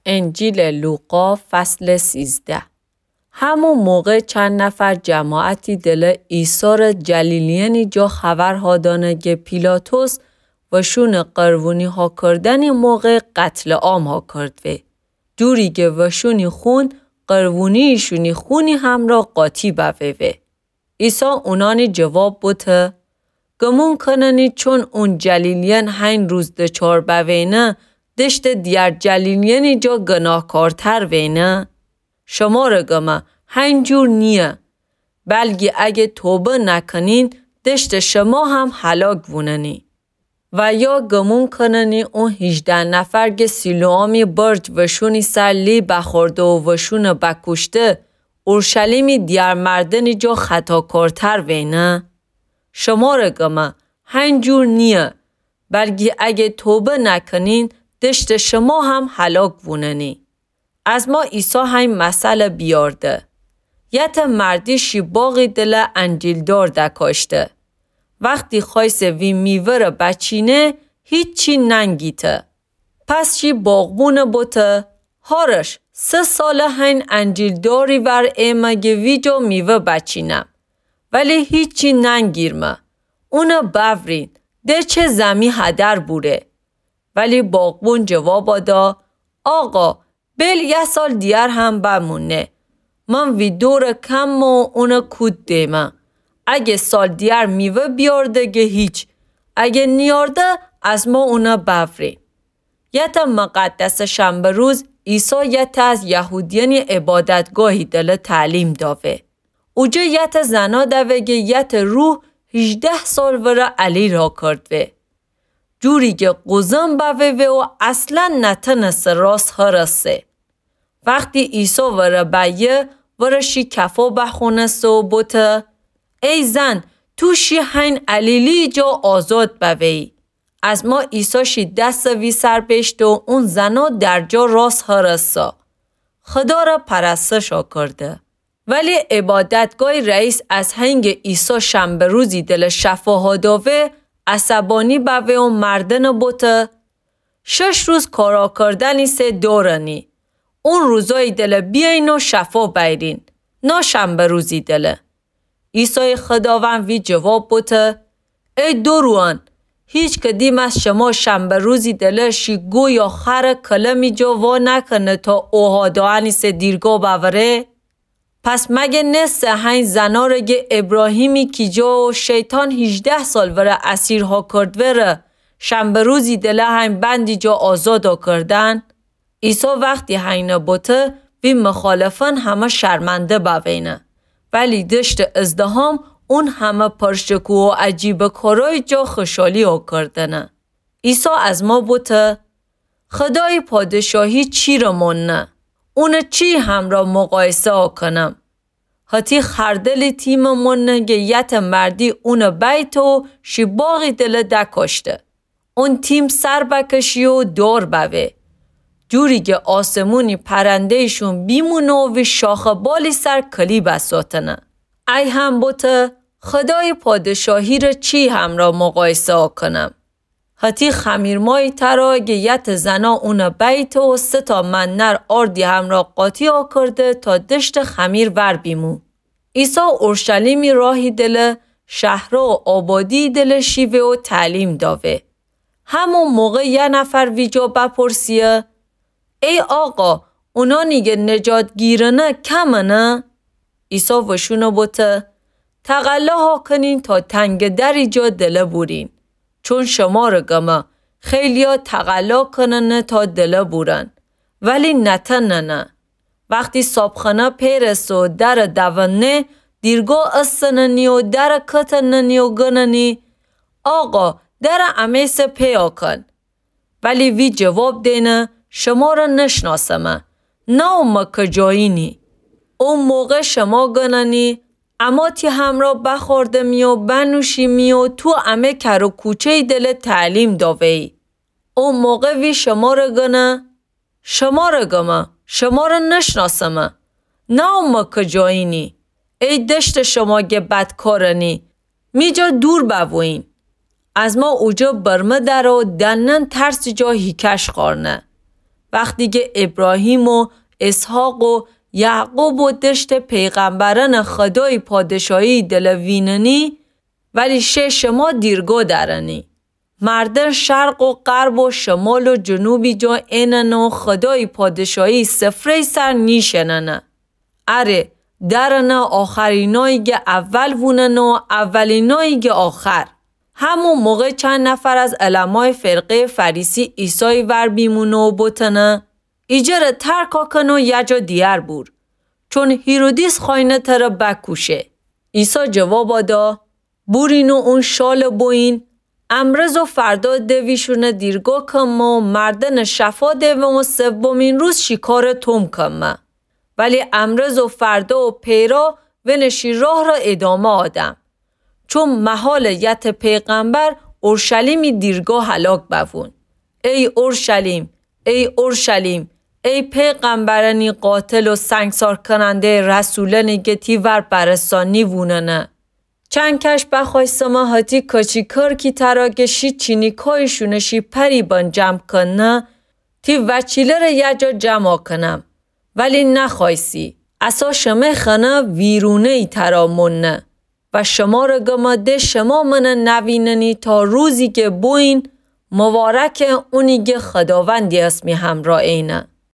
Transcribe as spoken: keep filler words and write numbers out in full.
انجیلٚ لوقا، فصلٚ سیزده. همو موقع چند نفر جماعتی دلٚ عیسی ره جلیلیأنی جا خبر هادأنه گه پیلاطس وشونٚ قربونی هاکردنی موقع قتلٚ عام هاکردوه، جوری گه وشونی خون قربونی‌شونی خونی همرا قاطی بووه. عیسی اونأنی جواب بوته: گمون کننی چون اون جلیلیأن هین روز دچار بوینه، دشتٚ دیگر جلیلیأنی جا گناهکارتر وینه؟ شمره گمه، هین جور نییه، بلکی اگه توبه نکنین، دشتٚ شما هم هلاک بوننی. و یا گمون کننی اون هیجده نفر گه سیلوآمی برج وشونی سر لی بخورده و وشونه بکوشته، اورشلیمی دیگر مردنی جا خطاکارتر وینه؟ شمره گمه، هین جور نییه، بلکی اگه توبه نکنین، دشتٚ شما هم هلاک بوننی. از ما عیسی هین مثل بیارده: یته مردی شی باغی دله انجیلدار دکاشته. وختی خوأیسه وی میوه‌ره بچینه، هیچی ننگیته. پس شی باغبونه بوته: هارش، سه ساله هین انجیلداری ور ایمه گه ویجا میوه بچینم، ولی هیچی ننگیرمه. اونه بأورین، ده چه زمی هدر بوره. ولی باغبون جوابا دا: آقا، بیل یه سال دیگر هم بمونه. من وی دور کمه و اونه کود دیمه. اگه سال دیگر میوه بیارده گه هیچ، اگه نیارده، از ما اونه بأورین. یته مقدسٚ شنبه روز عیسی یته از یهودیأنی عبادتگاهی دله تعلیم داوه. اوجه یته زنا دوه گه یته روح هیجده سال وره الیل هاکردوه. جوری گه قوزم بووه و اصلا نتنسه راس هرسه. وختی عیسی وره بأیه، وره شی کفا بخوأنسته و بوته: ای زن، تو شی هین الیلی جا آزاد بوه‌یی. از ما عیسی شی دسه وی سر بیشته و اون زنا در جا راس هرسه، خداره پرستش هاکرده. ولی عبادتگاهی رئیس از هنگه عیسی شنبه روزی دله شفا هاداوه، عصبانی بوه و مردنه بوته: شش روز کار هاکردنی سه دارنی. اون روزایی دله بیأیین و شفا بأیرین، نه شنبه روزی دله. عیسای خداوند وی جواب بوته: ای دوروئن، هیچ کدیم از شما شنبه روزی دله شی گو یا خره کلمی جا وا نکنه تا اوهادأنی سه دیرگا بأوره؟ پس مگه نسه هین زناره گه ابراهیمی کی جا و شیطان هیجده سال وره اسیر هاکردوه ره، شنبه روزی دله هین بندی جا آزاد هاکردن؟ عیسی وختی هینه بوته، وی مخالفأن همه شرمنده بوینه، ولی دشتٚ ازدحام اون همه پرشکوه و عجیبه کارای جا خوشحالی هاکردنه. عیسی از ما بوته: خدای پادشاهی چی ره مانه؟ اونه چی همرا مقایسه هاکنم؟ هتی خردلی تیم مانه گه یته مردی اونه بیته و شی باغی دله دکاشته. اون تیم سر بکشی و دار بوه، جوری گه آسمونی پرنده‌یشون بیمونه و وی شاخه بالی سر کلی بساتنه. ای هم بوته: خدای پادشاهی ره چی همرا مقایسه هاکنم؟ هتی خمیرمایی تره گه یته زنا اونه بیته و سه تا منه ره آردی همرا قاطی هاکرده تا دشتٚ خمیر ور بیمو. عیسی اورشلیمی راهی دله، شهرا و آبادی دله شیوه و تعلیم داوه. همون موقع یه نفر ویجا بپرسیه: ای آقا، اونانی گه نجات گیرنه کمنه؟ عیسی وشونه بوته: تقلا هاکنین تا تنگٚ دری جا دله بورین. چون شمره گمه، خیلیا تقلا کننه تا دله بورن، ولی نتننه. وختی صابخانه پیرسه و در دوننه، دیرگا استننی و در کتننی و گننی: آقا، در امه‌یسه پیدا کن. ولی وی جواب دینه: شمره نشناسمه، نأومه کجایینی. او موقع شما گننی اما تی همرا بخوردمی و بنوشیمی و تو امه کر و کوچه‌یی دله تعلیم داوه‌یی. او موقع وی شمره گنه: شمره گمه، شمره نشناسمه، نأومه کجایینی. ای دشتٚ شما گه بدکارنی، می جا دور بوویین. از ما اوجه برمه دره و دنن ترسی جا هیکش خوأرنه. وختی گه ایبراهیم و اسحاق و یعقوب و دشتٚ پیغمبرأنٚ خودای پادشاهی دلٚ ویننی، ولی شه شما دیرگا درنی. مردن شرق و غرب و شمال و جنوبی جا ایننه و خودای پادشاهی سفره‌ی سر نیشیننه. اره، درنه آخرینایی گه اول ووننه و اولینایی گه آخر. همو موقع چند نفر از علمای فرقه‌ی فریسی عیسای ور بیمونه و بوتنه: ایجره ترکا کن و یه جا دیگر بور، چون هیرودیس خوأینه تره بکوشه. عیسی جوابا دا: بورین و اون شاله بویین. امرز و فردا دویشونه دیرگا کمه و مردنه شفا دوم و سومین روز شیکاره توم کمه. ولی امرز و فردا و پیرا ونه شی راه را ادامه آدم. چون مهال یت پیغمبر اورشلیمی دیرگا هلاک بوون. ای اورشلیم، ای اورشلیم، ای پیغمبرأنی قاتل و سنگسار کننده رسولأنی گه تی ور برسانی ووننه. چند کش بخوایسمه هتی کچی کر کی ترا گه شی چینیکایشونه شی پری بن جمع کنه، تی وچیلره یه جا جمع کنم. ولی نخوایسی. اسا شمه خنه ویرونه‌ی ترا مونه. و شماره گمه ده شما منه نویننی تا روزی گه بوین: مبارکه اونی گه خداوندی اسمی همرا اینه.